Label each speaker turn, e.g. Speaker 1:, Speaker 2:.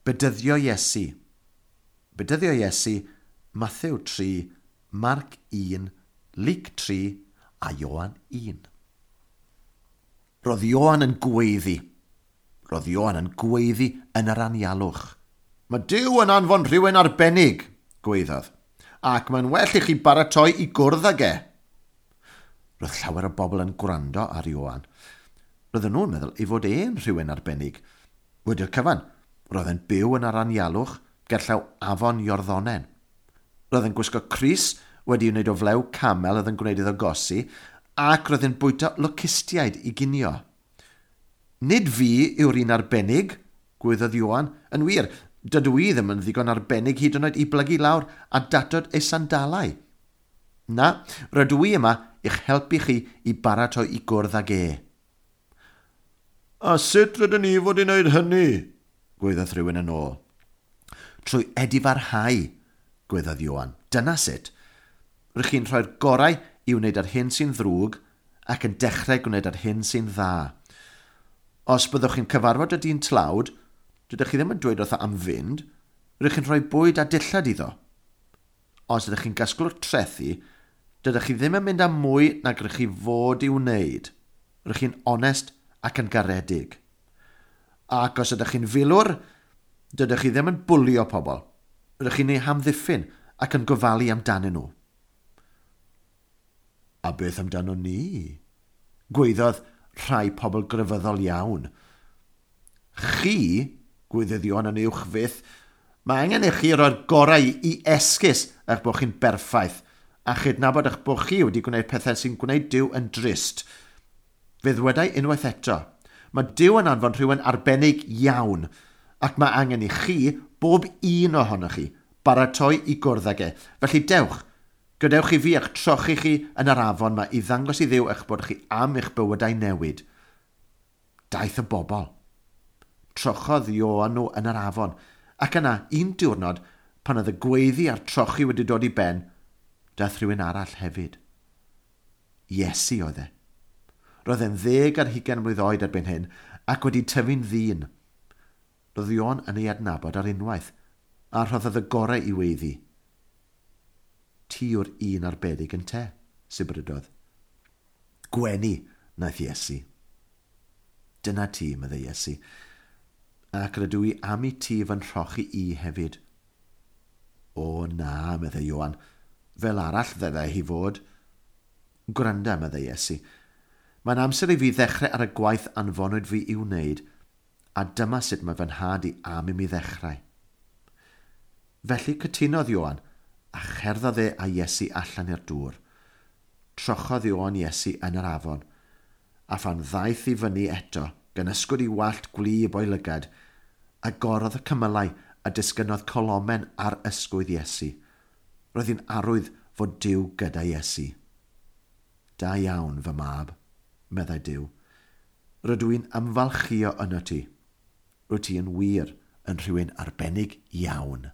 Speaker 1: Bedyddio Iesu. Bedyddio Iesu, Mathew 3, Marc 1, Luc 3 a Ioan 1. Roedd Ioan yn gweiddi. Roedd Ioan yn gweiddi yn yr anialwch. Mae Duw yn anfon rhywun arbennig, gweiddodd, ac mae'n well i chi baratoi i gwrdd ag e. Roedd llawer o bobl yn gwrando ar Ioan. Roedden nhw'n meddwl ei fod e'n rhywun arbennig. Wedi'r cyfan, roedd e'n byw yn yr anialwch gerllaw afon Iorddonen. Roedd e'n gwisgo crys wedi wneud o flew camel oedd yn gwneud iddo gosi, ac roedd e'n bwyta locustiaid i ginio. Nid fi yw'r un arbennig, gweiddodd Ioan. Yn wir, dydw i ddim yn ddigon arbennig hyd yn oed i blygu lawr a datod ei sandalau. Na, rydw i yma i'ch helpu chi i baratoi i gwrdd ag e. A sut rydyn ni fod i wneud hynny? gweiddodd rhywun yn ôl. Trwy edifarhau, gweiddodd Ioan. Dyna sut. Rydych chi'n rhoi'r gorau i wneud yr hyn sy'n ddrwg ac yn dechrau gwneud yr hyn sy'n dda. Os byddwch chi'n cyfarfod y dyn tlawd, dydych chi ddim yn dweud wrtho am fynd, rydych chi'n rhoi bwyd a dillad iddo. Os ydych chi'n gasglwr trethu, dydych chi ddim yn mynd am mwy nag rydych chi fod i'w wneud. Rydych chi'n onest ac yn garedig. Ac os ydych chi'n filwr, dydych chi ddim yn bwlio pobl. Rydych chi'n eu hamddiffyn ac yn gofalu amdanyn nhw. A beth amdano ni? Gweiddodd rhai pobl grefyddol iawn. Chi, gweiddodd Ioan yn uwch fyth, mae angen i chi roi'r gorau i esgus eich bod chi'n berffaith a chydnabod eich bod chi wedi gwneud pethau sy'n gwneud Duw yn drist. Fe ddwedai unwaith eto, mae Duw yn anfon rhywun arbennig iawn ac mae angen i chi, bob un ohonoch chi, baratoi i gwrdd ag e. Felly dewch, gadewch i fi eich trochi chi yn yr afon ma i ddangos i Dduw eich bod chi am eich bywydau newid. Daeth y bobl. Trochodd Ioan nhw yn yr afon, ac yna, un diwrnod, pan oedd y gweiddi a'r trochi wedi dod i ben, daeth rhywun arall hefyd. Iesu oedd e. Roedd e'n 20 mlwydd oed erbyn hyn ac wedi tyfu'n ddyn. Roedd Ioan yn ei adnabod ar unwaith, a rhoddodd y gorau i weiddi. Ti yw'r un arbennig ynte, sibrydodd. Gwenu, wnaeth Iesu. Dyna ti, meddai Iesu, ac rydw i am i ti fy nhrochi i hefyd. O na, meddai Ioan, fel arall ddylai hi fod. Gwranda, meddai Iesu, mae'n amser i fi ddechrau ar y gwaith anfonwyd fi i'w wneud, a dyma sut mae fy nhad i am i mi ddechrau. Felly cytunodd Ioan, a cherddodd e a Iesu allan i'r dŵr. Trochodd Ioan Iesu yn yr afon, a phan ddaeth i fyny eto, gan ysgwyd i wallt gwlyb o'i lygad, agorodd y cymylau a disgynnodd colomen ar ysgwydd Iesu. Roedd hi'n arwydd fod Duw gyda Iesu. Da iawn, fy mab, meddai Duw. Rydw i'n ymfalchïo yno ti. Rwyt ti yn wir yn rhywun arbennig iawn.